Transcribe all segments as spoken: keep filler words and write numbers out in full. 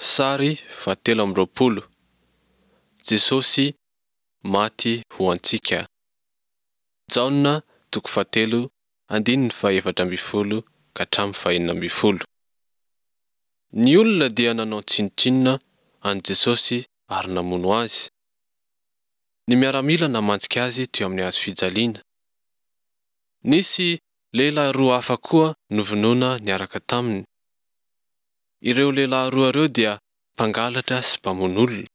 Sary fahatelo amby roapolo. Jesosy maty ho antsika. Jaona toko fahatelo andininy fahefatra ambin'ny folo ka hatramin'ny fahenina ambin'ny folo. Ny olona dia nanao tsinontsinona an'i Jesosy ary namono Azy. Ny miaramila namantsika Azy teo amin'ny hazo fijaliana. Nisy lehilahy roa hafa koa novonoina niaraka taminy. Ireo lehilahy roa ireo dia mpangalatra sy mpamono olona.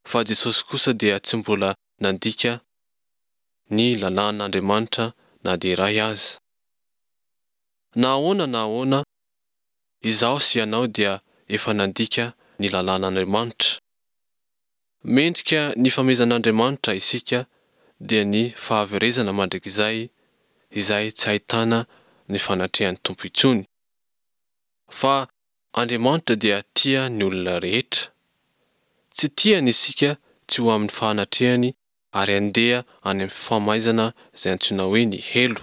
Fa Jesosy kosa dia tsy mbola nandika ny lalàn'Andriamanitra na dia iray aza. Na ahoana na ahoana, izaho sy ianao dia efa nandika ny lalàn'Andriamanitra. Mendrika ny famehezan'Andriamanitra isika dia ny fahaverezana mandrakizay izay tsy ahitana ny fanatrehan'ny Tompo intsony. Fa Andriamanitra dia tia ny olona rehetra. Tsy tiany isika tsy ho amin'ny fahanatrehany ary handeha any amin'ny famaizana izay antsoina hoe ny helo.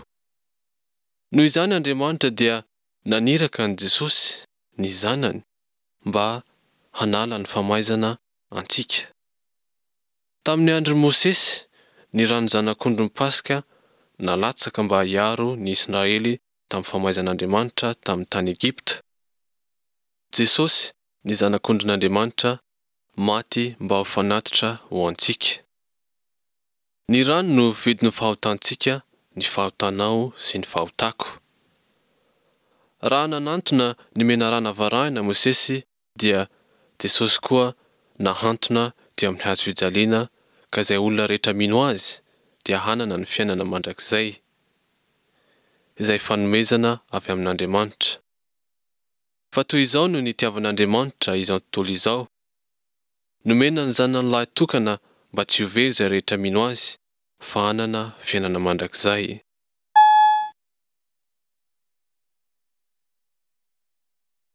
Noho izany Andriamanitra dia naniraka an'i Jesosy, ny Zanany, mba hanala ny famaizana antsika. Tamin'ny andron'i Mosesy, ny ran'ny zanak'ondrin'ny Paska nalatsaka mba hiaro ny Israely tamin'ny famaizan'Andriamanitra tamin'ny tany Egypta. Jesosy, ny Zanak'ondrin'Andriamanitra, maty mba ho fanatitra ho antsika. Ny rany no vidin'ny fahotantsika, ny fahotanao sy ny fahotako. Raha nanantona ny menarana varahina Mosesy dia Jesosy koa nahantona teo amin'ny hazo fijaliana ka izay olona rehetra mino Azy dia hanana ny fiainana mandrakizay, izay fanomezana avy amin'Andriamanitra. Fa toy izao no nitiavan'Andriamanitra izao tontolo izao, nomena ny Zanany lahy tokana mba tsy ho very izay rehetra mino Azy, fa hanana fiainana mandrakizay.